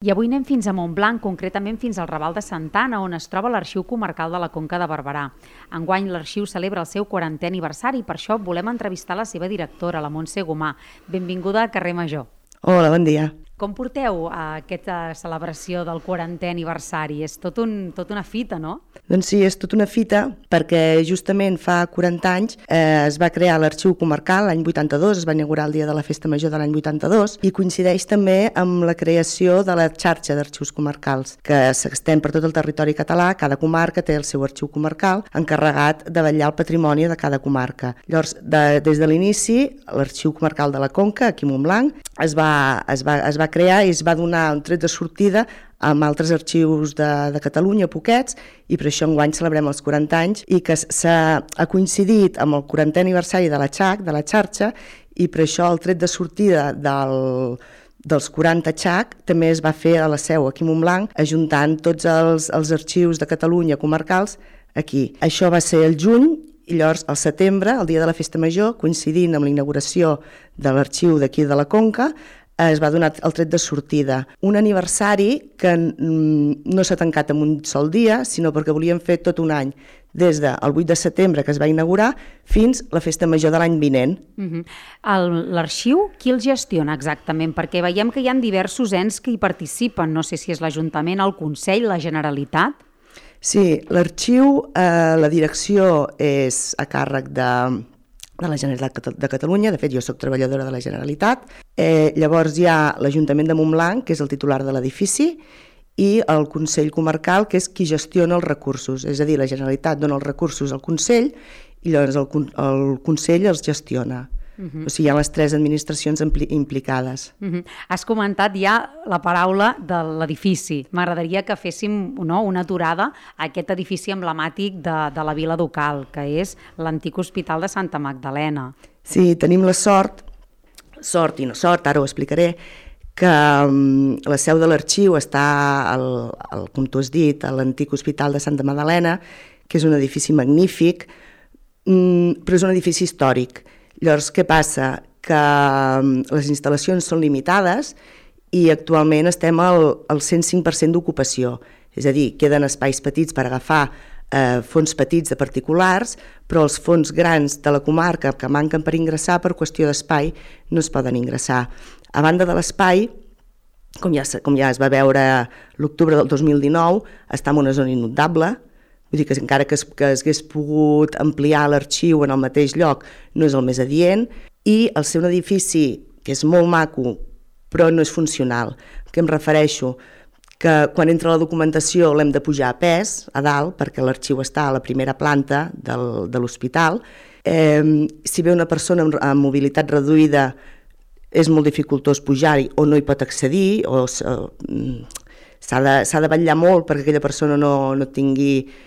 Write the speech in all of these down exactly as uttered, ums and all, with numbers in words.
I avui anem fins a Montblanc, concretament fins al Raval de Santa Anna, on es troba l'Arxiu Comarcal de la Conca de Barberà. Enguany l'arxiu celebra el seu quarantè aniversari i per això volem entrevistar la seva directora, la Montse Gomà. Benvinguda a Carrer Major. Hola, bon dia. Com porteu a aquesta celebració del quarantè aniversari? És tot, un, tot una fita, no? Doncs sí, és tot una fita perquè justament fa quaranta anys eh, es va crear l'Arxiu Comarcal l'any vuitanta-dos, es va inaugurar el dia de la Festa Major de l'any vuitanta-dos i coincideix també amb la creació de la xarxa d'arxius comarcals que s'estén per tot el territori català. Cada comarca té el seu arxiu comarcal encarregat de vetllar el patrimoni de cada comarca. Llavors, de, des de l'inici, l'Arxiu Comarcal de la Conca, aquí a Montblanc, es va, es va, es va crear i es va donar un tret de sortida amb altres arxius de, de Catalunya, poquets, i per això enguany celebrem els quaranta anys i que s'ha ha coincidit amb el quarantè aniversari de la xac, de la xarxa, i per això el tret de sortida del, dels quaranta xac també es va fer a la seu, aquí a Montblanc, ajuntant tots els, els arxius de Catalunya comarcals aquí. Això va ser el juny, i llavors al setembre, el dia de la Festa Major, coincidint amb la inauguració de l'arxiu d'aquí de la Conca, es va donar el tret de sortida. Un aniversari que no s'ha tancat en un sol dia, sinó perquè volíem fer tot un any, des del vuit de setembre, que es va inaugurar, fins la Festa Major de l'any vinent. Uh-huh. L'arxiu, qui el gestiona exactament? Perquè veiem que hi ha diversos ens que hi participen. No sé si és l'Ajuntament, el Consell, la Generalitat. Sí, l'arxiu, eh, la direcció és a càrrec de... de la Generalitat de Catalunya, de fet jo soc treballadora de la Generalitat. Eh, llavors hi ha l'Ajuntament de Montblanc, que és el titular de l'edifici, i el Consell Comarcal, que és qui gestiona els recursos, és a dir, la Generalitat dona els recursos al Consell i llavors el, el Consell els gestiona. Uh-huh. O sigui, hi ha les tres administracions implicades. Uh-huh. Has comentat ja la paraula de l'edifici. M'agradaria que féssim no, una aturada a aquest edifici emblemàtic de, de la vila ducal, que és l'antic Hospital de Santa Magdalena. Sí, tenim la sort, sort i no sort, ara ho explicaré, que um, la seu de l'arxiu està, al, al, com tu has dit, a l'antic Hospital de Santa Magdalena, que és un edifici magnífic, um, però és un edifici històric. Llavors, què passa? Que les instal·lacions són limitades i actualment estem al, al cent cinc per cent d'ocupació. És a dir, queden espais petits per agafar eh, fons petits de particulars, però els fons grans de la comarca que manquen per ingressar per qüestió d'espai no es poden ingressar. A banda de l'espai, com ja, com ja es va veure l'octubre del dos mil dinou, està en una zona inundable. Vull dir que encara que es, que es hagués pogut ampliar l'arxiu en el mateix lloc no és el més adient, i el ser un edifici que és molt maco però no és funcional. Que em refereixo que quan entra la documentació l'hem de pujar a pes, a dalt, perquè l'arxiu està a la primera planta del, de l'hospital. Eh, si ve una persona amb, amb mobilitat reduïda és molt dificultós pujar-hi o no hi pot accedir, o eh, s'ha de, s'ha de vetllar molt perquè aquella persona no, no tingui...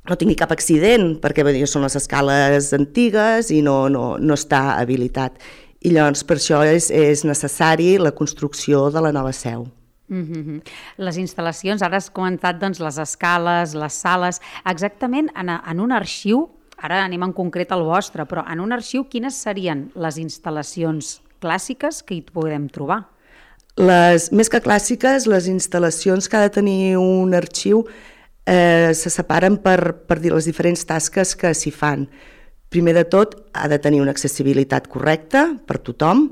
no tingui cap accident, perquè bé, són les escales antigues i no, no, no està habilitat. I llavors per això és, és necessari la construcció de la nova seu. Mm-hmm. Les instal·lacions, ara has comentat doncs, les escales, les sales, exactament en, en un arxiu, ara anem en concret al vostre, però en un arxiu quines serien les instal·lacions clàssiques que hi podem trobar? Les, més que clàssiques, les instal·lacions que ha de tenir un arxiu Eh, se separen per, per dir les diferents tasques que s'hi fan. Primer de tot, ha de tenir una accessibilitat correcta per tothom,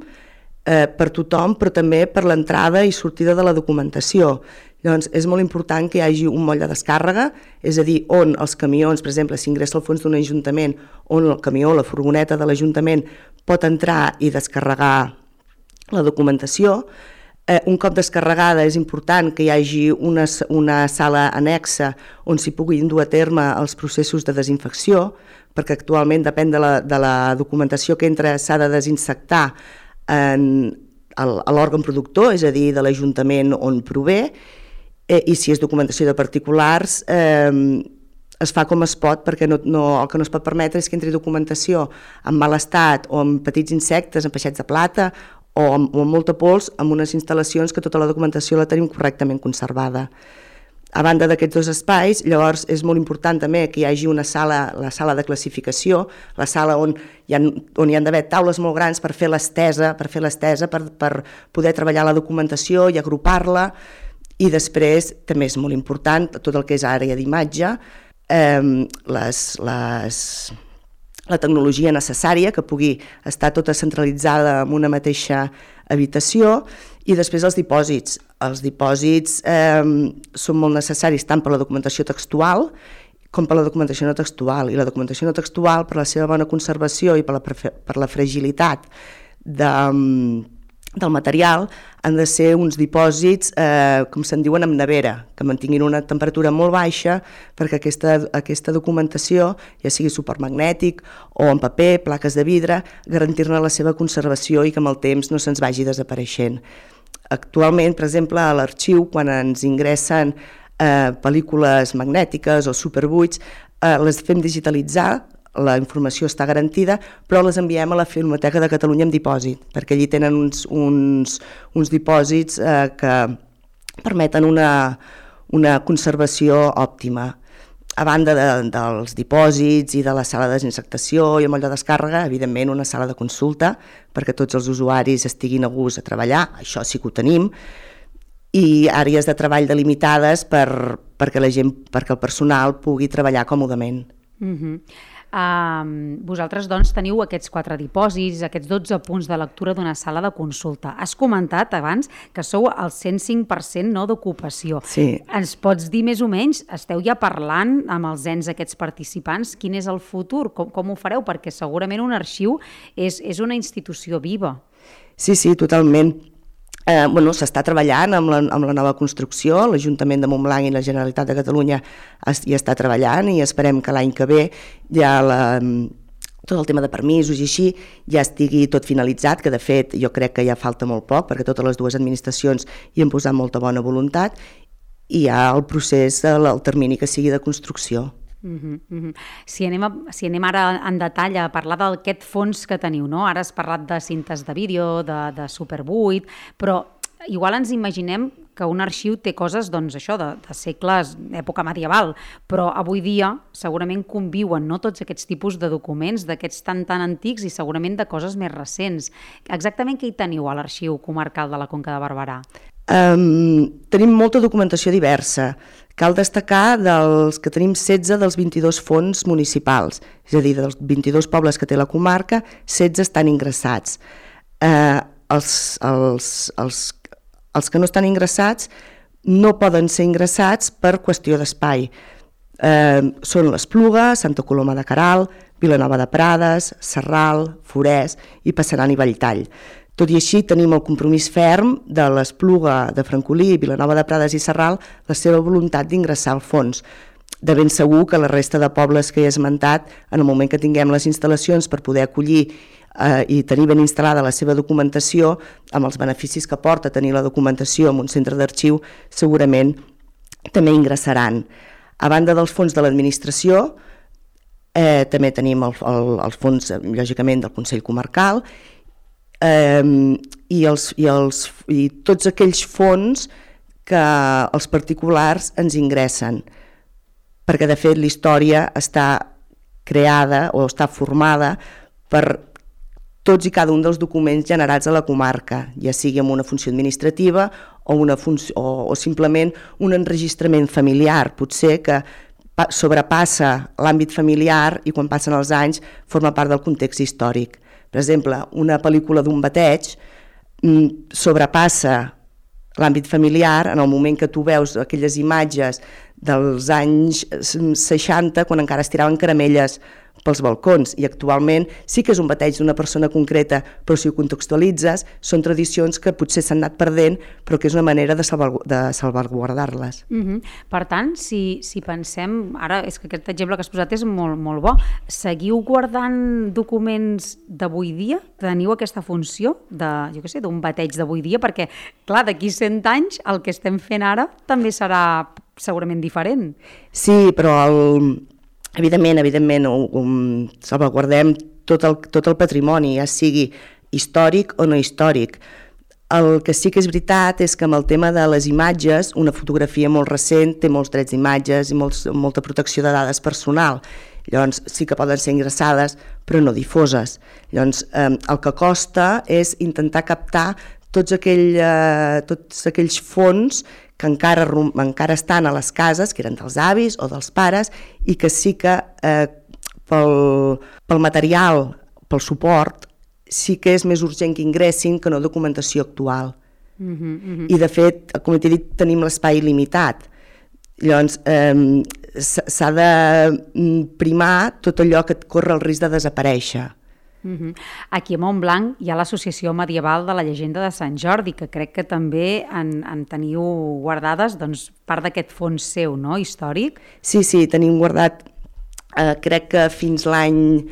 eh, per tothom, però també per l'entrada i sortida de la documentació. Llavors, és molt important que hi hagi un moll de descàrrega, és a dir, on els camions, per exemple, si ingressa al fons d'un ajuntament, on el camió, la furgoneta de l'Ajuntament pot entrar i descarregar la documentació. Eh, un cop descarregada és important que hi hagi una, una sala annexa on s'hi puguin dur a terme els processos de desinfecció, perquè actualment depèn de la, de la documentació que entra, s'ha de desinsectar en, el, a l'òrgan productor, és a dir, de l'Ajuntament on prové, eh, i si és documentació de particulars eh, es fa com es pot, perquè no, no, el que no es pot permetre és que entri documentació en mal estat o amb petits insectes, amb peixets de plata, o amb, o amb molta pols, amb unes instal·lacions que tota la documentació la tenim correctament conservada. A banda d'aquests dos espais, llavors és molt important també que hi hagi una sala, la sala de classificació, la sala on hi ha, on hi ha d'haver taules molt grans per fer l'estesa, per fer l'estesa, per, per poder treballar la documentació i agrupar-la, i després també és molt important tot el que és àrea d'imatge, eh, les, les, la tecnologia necessària que pugui estar tota centralitzada en una mateixa habitació, i després els dipòsits. Els dipòsits eh, són molt necessaris tant per la documentació textual com per la documentació no textual. I la documentació no textual, per la seva bona conservació i per la, per la fragilitat de, del material, han de ser uns dipòsits, eh, com se'n diuen, amb nevera, que mantinguin una temperatura molt baixa perquè aquesta, aquesta documentació, ja sigui supermagnètic o en paper, plaques de vidre, garantir-ne la seva conservació i que amb el temps no se'ns vagi desapareixent. Actualment, per exemple, a l'arxiu, quan ens ingressen eh, pel·lícules magnètiques o superbuits, eh, les fem digitalitzar, la informació està garantida, però les enviem a la Filmoteca de Catalunya en dipòsit, perquè allí tenen uns, uns, uns dipòsits eh, que permeten una, una conservació òptima. A banda de, dels dipòsits i de la sala de desinsectació i el moll de descàrrega, evidentment una sala de consulta perquè tots els usuaris estiguin a gust a treballar, això sí que ho tenim, i àrees de treball delimitades per, perquè, la gent, perquè el personal pugui treballar còmodament. Uh-huh. Uh, vosaltres doncs teniu aquests quatre dipòsits, aquests dotze punts de lectura d'una sala de consulta. Has comentat abans que sou al cent cinc per cent no, d'ocupació. Sí. Ens pots dir més o menys, esteu ja parlant amb els ens aquests participants, quin és el futur, com, com ho fareu? Perquè segurament un arxiu és, és una institució viva. Sí, sí, totalment. Eh, bueno, s'està treballant amb la, amb la nova construcció, l'Ajuntament de Montblanc i la Generalitat de Catalunya es, hi està treballant i esperem que l'any que ve ja la, tot el tema de permisos i així ja estigui tot finalitzat, que de fet jo crec que ja falta molt poc perquè totes les dues administracions hi han posat molta bona voluntat i hi ha el procés, el, el termini que sigui de construcció. Uh-huh, uh-huh. Si, anem a, si anem ara en detall a parlar d'aquest fons que teniu, no? Ara has parlat de cintes de vídeo, de, de Super vuit, però igual ens imaginem que un arxiu té coses, doncs això, de, de segles, època medieval, però avui dia segurament conviuen no, tots aquests tipus de documents, d'aquests tan tan antics i segurament de coses més recents. Exactament què hi teniu a l'Arxiu Comarcal de la Conca de Barberà? Um, tenim molta documentació diversa. Cal destacar dels que tenim setze dels vint-i-dos fons municipals, és a dir, dels vint-i-dos pobles que té la comarca, setze estan ingressats. Eh, els, els, els, els que no estan ingressats no poden ser ingressats per qüestió d'espai. Eh, són l'Espluga, Santa Coloma de Queralt, Vilanova de Prades, Sarral, Forès i Passeran i Belltall. Tot i així tenim el compromís ferm de l'Espluga, de Francolí, Vilanova de Prades i Sarral, la seva voluntat d'ingressar al fons. De ben segur que la resta de pobles que he esmentat, en el moment que tinguem les instal·lacions per poder acollir eh, i tenir ben instal·lada la seva documentació, amb els beneficis que porta tenir la documentació en un centre d'arxiu, segurament també ingressaran. A banda dels fons de l'administració, eh, també tenim el, el, els fons, lògicament, del Consell Comarcal, Um, i, els, i, els, i tots aquells fons que els particulars ens ingressen, perquè de fet la història està creada o està formada per tots i cada un dels documents generats a la comarca, ja sigui amb una funció administrativa o, una funció, o, o simplement un enregistrament familiar, potser que sobrepassa l'àmbit familiar i quan passen els anys forma part del context històric. Per exemple, una pel·lícula d'un bateig sobrepassa l'àmbit familiar en el moment que tu veus aquelles imatges dels anys seixanta, quan encara es tiraven caramelles pels balcons, i actualment sí que és un bateig d'una persona concreta, però si ho contextualitzes, són tradicions que potser s'han anat perdent, però que és una manera de, salvar, de salvaguardar-les. Uh-huh. Per tant, si, si pensem, ara és que aquest exemple que has posat és molt, molt bo, seguiu guardant documents d'avui dia? Teniu aquesta funció de, jo què sé, d'un bateig d'avui dia? Perquè, clar, d'aquí cent anys el que estem fent ara també serà segurament diferent. Sí, però el... Evidentment, evidentment, um, salvaguardem tot el, tot el patrimoni, ja sigui històric o no històric. El que sí que és veritat és que amb el tema de les imatges, una fotografia molt recent té molts drets d'imatges i molts, molta protecció de dades personal. Llavors sí que poden ser ingressades però no difoses. Llavors eh, el que costa és intentar captar tots, aquell, eh, tots aquells fons que encara, encara estan a les cases, que eren dels avis o dels pares, i que sí que eh, pel, pel material, pel suport, sí que és més urgent que ingressin que no documentació actual. Uh-huh, uh-huh. I de fet, com t'he dit, tenim l'espai limitat. Llavors, eh, s'ha de primar tot allò que et corre el risc de desaparèixer. Uh-huh. Aquí a Montblanc hi ha l'Associació Medieval de la Llegenda de Sant Jordi, que crec que també en, en teniu guardades doncs, part d'aquest fons seu, no?, històric. Sí, sí, tenim guardat, eh, crec que fins l'any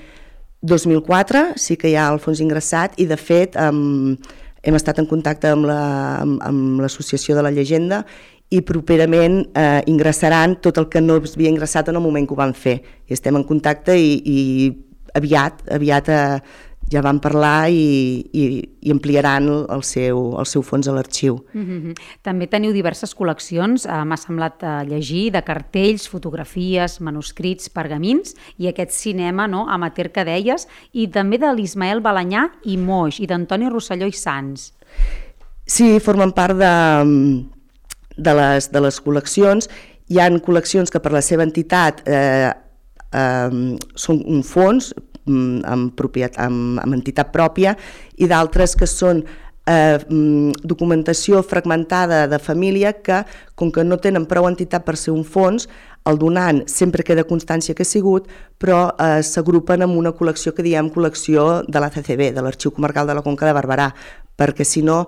dos mil quatre sí que hi ha el fons ingressat i de fet um, hem estat en contacte amb, la, amb, amb l'Associació de la Llegenda i properament eh, ingressaran tot el que no havia ingressat en el moment que ho van fer. I estem en contacte i, i aviat, aviat eh, ja van parlar i, i, i ampliaran el seu, el seu fons a l'arxiu. Mm-hmm. També teniu diverses col·leccions, eh, m'ha semblat eh, llegir, de cartells, fotografies, manuscrits, pergamins i aquest cinema, no?, amateur que deies, i també de l'Ismael Balanyà i Moix, i d'Antoni Rosselló i Sans. Sí, formen part de, de, les, de les col·leccions. Hi ha col·leccions que per la seva entitat eh, eh, són un fons, Amb, propietat, amb, amb entitat pròpia, i d'altres que són eh, documentació fragmentada de família que, com que no tenen prou entitat per ser un fons, el donant sempre queda constància que ha sigut, però eh, s'agrupen en una col·lecció que diem col·lecció de l'A C C B, de l'Arxiu Comarcal de la Conca de Barberà, perquè si no,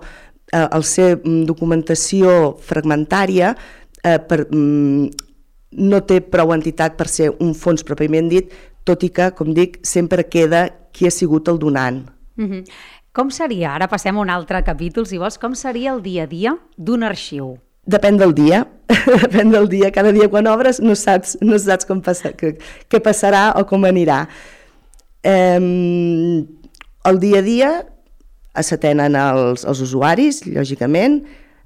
eh, al ser documentació fragmentària, eh, per, mm, no té prou entitat per ser un fons pròpiament dit, tot i que, com dic, sempre queda qui ha sigut el donant. Mm-hmm. Com seria, ara passem a un altre capítol, si vols, com seria el dia a dia d'un arxiu? Depèn del dia, depèn del dia. Cada dia quan obres no saps, no saps com passa, què, què passarà o com anirà. Eh, el dia a dia s'atenen els, els usuaris, lògicament.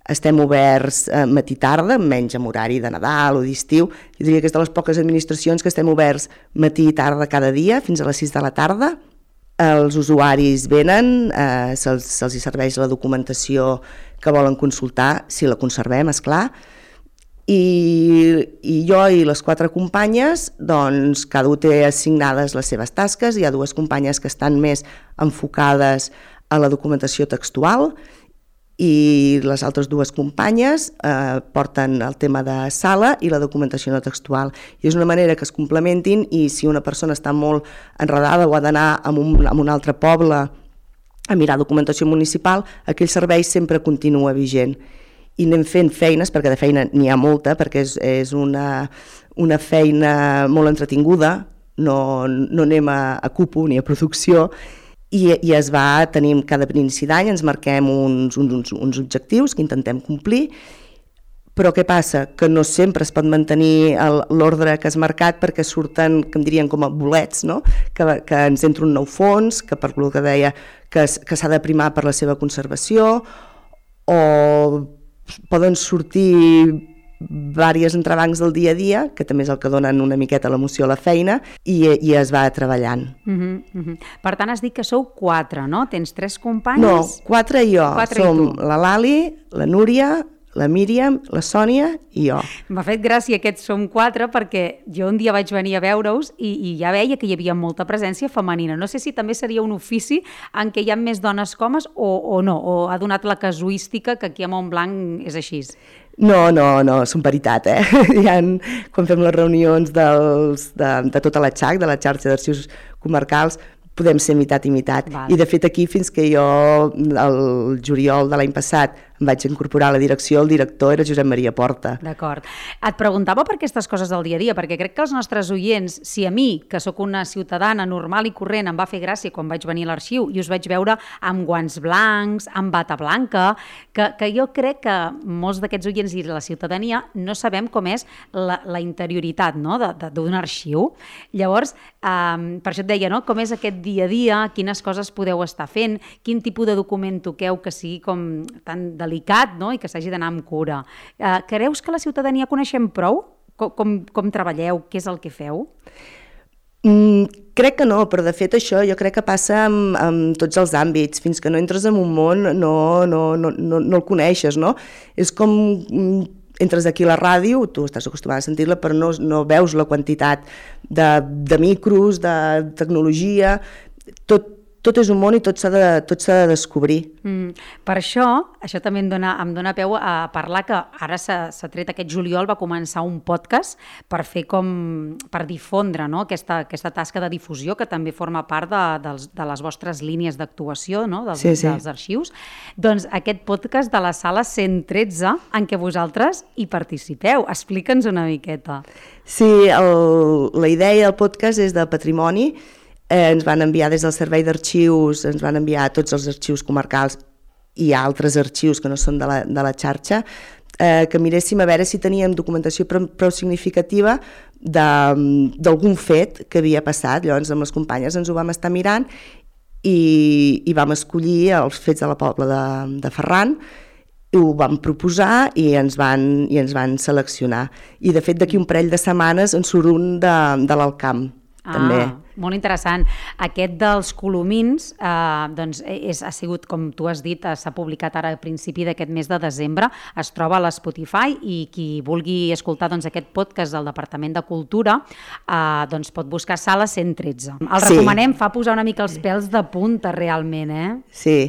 Estem oberts eh, matí-tarda, menys amb horari de Nadal o d'estiu. Jo diria que és de les poques administracions que estem oberts matí i tarda cada dia, fins a les sis de la tarda. Els usuaris venen, eh, se'ls, se'ls hi serveix la documentació que volen consultar, si la conservem, esclar. I, i jo i les quatre companyes, doncs cada un té assignades les seves tasques. Hi ha dues companyes que estan més enfocades a la documentació textual i les altres dues companyes eh, porten el tema de sala i la documentació no textual. I és una manera que es complementin i si una persona està molt enredada o ha d'anar a un, a un altre poble a mirar documentació municipal, aquell servei sempre continua vigent. I anem fent feines, perquè de feina n'hi ha molta, perquè és, és una, una feina molt entretinguda, no, no anem a, a cupo ni a producció, I, i es va, tenim cada inici d'any, ens marquem uns, uns, uns objectius que intentem complir, però què passa? Que no sempre es pot mantenir l'ordre que has marcat perquè surten, que em dirien com a bolets, no? que, que ens entra un nou fons, que per el que deia que, que s'ha de primar per la seva conservació, o poden sortir diversos entrebancs del dia a dia, que també és el que donen una miqueta l'emoció a la feina, i, i es va treballant. Uh-huh, uh-huh. Per tant, has dit que sou quatre, no? Tens tres companyes? No, quatre i jo. Quatre Som i la Lali, la Núria, la Míriam, la Sònia i jo. M'ha fet gràcia que som quatre perquè jo un dia vaig venir a veure-us i, i ja veia que hi havia molta presència femenina. No sé si també seria un ofici en què hi ha més dones que homes o, o no, o ha donat la casuística que aquí a Montblanc és així. No, no, no, són paritat, eh? Hi ha, quan fem les reunions dels, de, de tota la xac, de la xarxa d'arxius comarcals, podem ser mitat i mitat. Val. I de fet aquí fins que jo el juliol de l'any passat em vaig incorporar a la direcció, el director era Josep Maria Porta. D'acord. Et preguntava per aquestes coses del dia a dia, perquè crec que els nostres oients, si a mi, que sóc una ciutadana normal i corrent, em va fer gràcia quan vaig venir a l'arxiu i us vaig veure amb guants blancs, amb bata blanca, que, que jo crec que molts d'aquests oients i la ciutadania no sabem com és la, la interioritat, no?, d'un arxiu. Llavors, eh, per això et deia, no?, com és aquest dia a dia, quines coses podeu estar fent, quin tipus de document toqueu que sigui com tan delicat, no?, i que s'hagi d'anar amb cura. Eh, creus que la ciutadania coneixem prou? Com, com, com treballeu? Què és el que feu? Mm, crec que no, però de fet això jo crec que passa amb, amb tots els àmbits. Fins que no entres en un món no, no, no, no, no el coneixes, no? És com entres aquí a la ràdio, tu estàs acostumat a sentir-la, però no, no veus la quantitat de, de micros, de tecnologia, tot, tot és un món i tot s'ha de, tot s'ha de descobrir. Mm, per això, això també em dona, em dona peu a parlar que ara s'ha tret aquest juliol, va començar un podcast per fer com, per difondre, no?, aquesta, aquesta tasca de difusió que també forma part de, dels, de les vostres línies d'actuació, no?, dels, sí, sí. dels arxius. Doncs aquest podcast de la sala cent tretze en què vosaltres hi participeu. Explica'ns una miqueta. Sí, el, la idea del podcast és de patrimoni. Eh, ens van enviar des del Servei d'Arxius, ens van enviar tots els arxius comarcals i altres arxius que no són de la, de la xarxa, eh, que miréssim a veure si teníem documentació prou, prou significativa d'algun fet que havia passat. Llavors amb les companyes ens ho vam estar mirant i, i vam escollir els fets de la Pobla de, de Ferran, i ho vam proposar i ens van, i ens van seleccionar. I de fet d'aquí un parell de setmanes en surt un de, de l'Alcamp. Ah, també. Molt interessant. Aquest dels Colomins eh, doncs és, ha sigut, com tu has dit, s'ha publicat ara a principi d'aquest mes de desembre, es troba a l'Spotify i qui vulgui escoltar doncs, aquest podcast del Departament de Cultura eh, doncs pot buscar Sala cent tretze. El Sí. recomanem, fa posar una mica els pèls de punta realment, eh? Sí,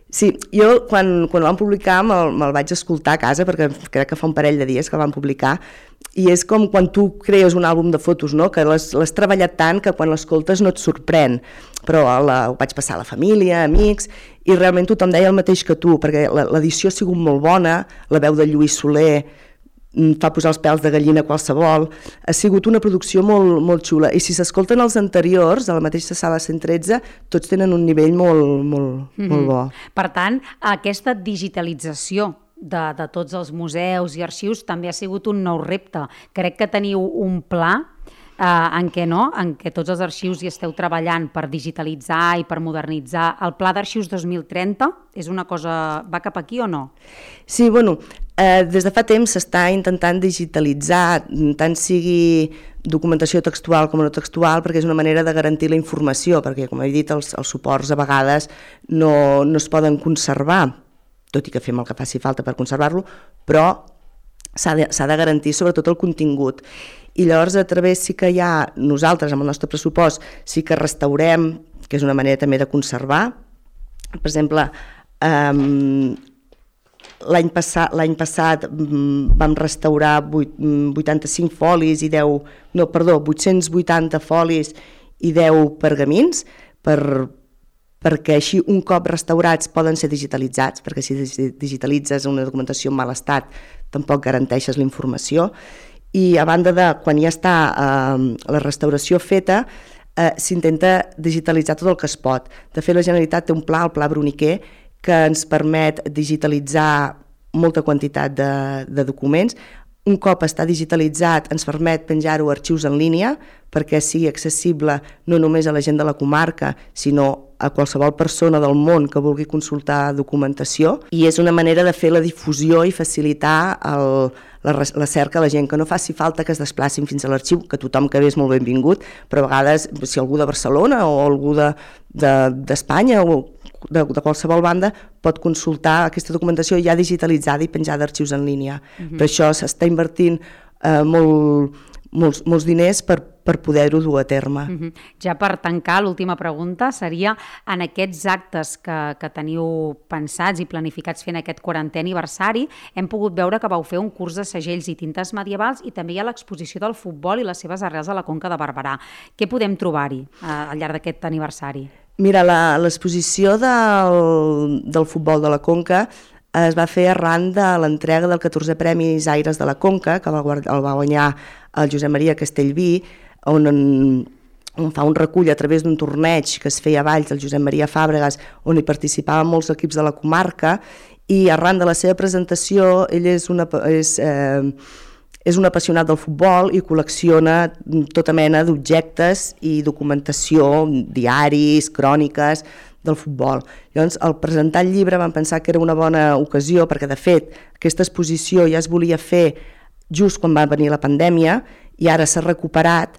sí, jo quan, quan el vam publicar me'l me vaig escoltar a casa perquè crec que fa un parell de dies que el vam publicar i és com quan tu crees un àlbum de fotos, no?, que l'has treballat tant que quan l'escoltes no et sorprèn, però la, ho vaig passar a la família, amics, i realment tothom deia el mateix que tu, perquè l'edició ha sigut molt bona, la veu de Lluís Soler fa posar els pèls de gallina qualsevol, ha sigut una producció molt, molt xula, i si s'escolten els anteriors, a la mateixa Sala cent tretze, tots tenen un nivell molt, molt, mm-hmm. molt bo. Per tant, aquesta digitalització de, de tots els museus i arxius també ha sigut un nou repte. Crec que teniu un pla eh, en què no, en què tots els arxius hi esteu treballant per digitalitzar i per modernitzar. El Pla d'Arxius dos mil trenta és una cosa... va cap aquí o no? Sí, bueno, eh, des de fa temps s'està intentant digitalitzar, tant sigui documentació textual com no textual, perquè és una manera de garantir la informació, perquè, com he dit, els, els suports a vegades no, no es poden conservar, tot i que fem el que faci falta per conservar-lo, però s'ha de, s'ha de garantir sobretot el contingut. I llavors a través sí que hi ha, nosaltres amb el nostre pressupost sí que restaurem, que és una manera també de conservar. Per exemple, um, l'any passat, l'any passat um, vam restaurar vuitanta-cinc folis i deu, no, perdó, vuit-cents vuitanta folis i deu pergamins per perquè així un cop restaurats poden ser digitalitzats, perquè si digitalitzes una documentació en mal estat tampoc garanteixes la informació, i a banda de quan ja està eh, la restauració feta, eh, s'intenta digitalitzar tot el que es pot. De fet, la Generalitat té un pla, el Pla Bruniquer, que ens permet digitalitzar molta quantitat de, de documents. Un cop està digitalitzat ens permet penjar-ho a arxius en línia perquè sigui accessible no només a la gent de la comarca, sinó a qualsevol persona del món que vulgui consultar documentació, i és una manera de fer la difusió i facilitar el, la, la cerca a la gent, que no faci falta que es desplacin fins a l'arxiu, que tothom que ve és molt benvingut, però a vegades si algú de Barcelona o algú d'Espanya de, de, o de, de qualsevol banda pot consultar aquesta documentació ja digitalitzada i penjada d'arxius en línia. Mm-hmm. Per això s'està invertint eh, molt, molts, molts diners per, per poder-ho dur a terme. Mm-hmm. Ja per tancar, l'última pregunta seria, en aquests actes que, que teniu pensats i planificats fent aquest quarantè aniversari, hem pogut veure que vau fer un curs de segells i tintes medievals i també hi ha l'exposició del futbol i les seves arrels a la Conca de Barberà. Què podem trobar-hi eh, al llarg d'aquest aniversari? Mira, l'exposició del, del futbol de la Conca es va fer arran de l'entrega del catorzè Premi Aires de la Conca, que el va guanyar el Josep Maria Castellví, on, on fa un recull a través d'un torneig que es feia a Valls, el Josep Maria Fàbregas, on hi participaven molts equips de la comarca, i arran de la seva presentació ell és una... És, eh, és un apassionat del futbol i col·lecciona tota mena d'objectes i documentació, diaris, cròniques del futbol. Llavors, al presentar el llibre vam pensar que era una bona ocasió, perquè de fet aquesta exposició ja es volia fer just quan va venir la pandèmia i ara s'ha recuperat,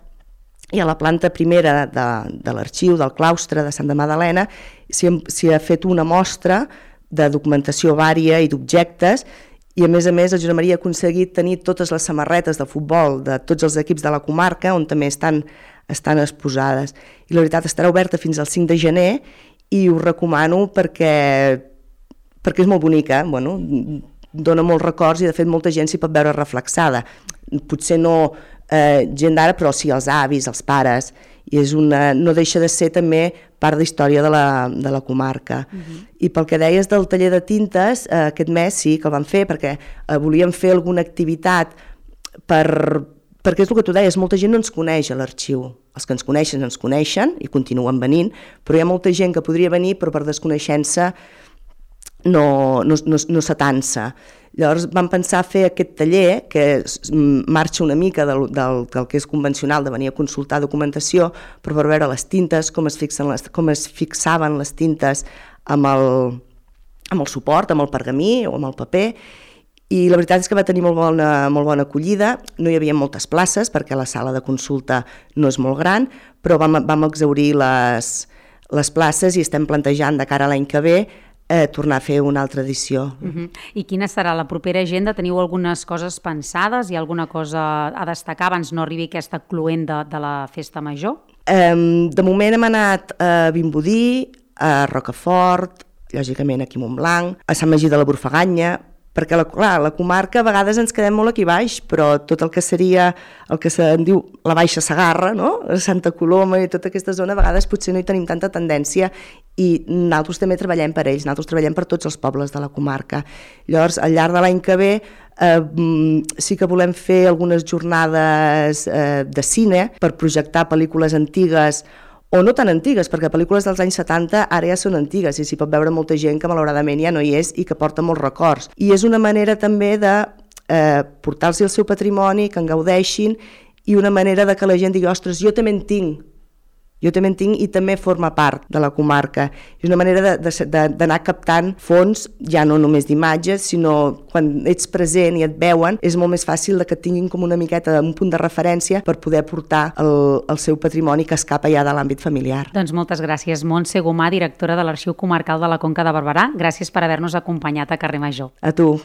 i a la planta primera de, de l'arxiu del claustre de Santa Magdalena s'hi ha fet una mostra de documentació vària i d'objectes. I a més a més el Josep Maria ha aconseguit tenir totes les samarretes de futbol de tots els equips de la comarca, on també estan, estan exposades. I la veritat estarà oberta fins al cinc de gener i us recomano perquè, perquè és molt bonica, bueno, dona molts records i de fet molta gent s'hi pot veure reflexada. Potser no eh, gent d'ara, però sí els avis, els pares, i és una, no deixa de ser també part de història de la, de la comarca. Uh-huh. I pel que deies del taller de tintes, eh, aquest mes sí que el vam fer perquè eh, volíem fer alguna activitat per, perquè és el que tu deies, molta gent no ens coneix a l'arxiu. Els que ens coneixen ens coneixen i continuen venint, però hi ha molta gent que podria venir però per desconeixença no, no, no, no s'atansa. Llavors vam pensar fer aquest taller, que marxa una mica del, del, del que és convencional de venir a consultar documentació, però per veure les tintes, com es, fixen les, com es fixaven les tintes amb el, amb el suport, amb el pergamí o amb el paper, i la veritat és que va tenir molt bona, molt bona acollida. No hi havia moltes places perquè la sala de consulta no és molt gran, però vam, vam exhaurir les, les places i estem plantejant de cara a l'any que ve Eh, tornar a fer una altra edició. Uh-huh. I quina serà la propera agenda? Teniu algunes coses pensades? Hi ha alguna cosa a destacar abans no arribi aquesta cluent de, de la festa major? Eh, de moment hem anat a Vimbodí, a Rocafort, lògicament aquí a Montblanc, a Sant Magí de la Borfaganya, perquè la, clar, la comarca a vegades ens quedem molt aquí baix, però tot el que seria el que se'n diu la Baixa Segarra, no? Santa Coloma i tota aquesta zona, a vegades potser no hi tenim tanta tendència i nosaltres també treballem per ells, nosaltres treballem per tots els pobles de la comarca. Llavors, al llarg de l'any que ve eh, sí que volem fer algunes jornades eh, de cine per projectar pel·lícules antigues o no tan antigues, perquè pel·lícules dels anys setanta ara ja són antigues i s'hi pot veure molta gent que malauradament ja no hi és i que porta molts records. I és una manera també de eh, portar-los el seu patrimoni, que en gaudeixin, i una manera de que la gent digui, ostres, jo també en tinc, jo també en tinc i també forma part de la comarca. És una manera d'anar captant fons, ja no només d'imatges, sinó quan ets present i et veuen, és molt més fàcil de que tinguin com una miqueta un punt de referència per poder portar el, el seu patrimoni que escapa ja de l'àmbit familiar. Doncs moltes gràcies, Montse Gomà, directora de l'Arxiu Comarcal de la Conca de Barberà. Gràcies per haver-nos acompanyat a Carrer Major. A tu.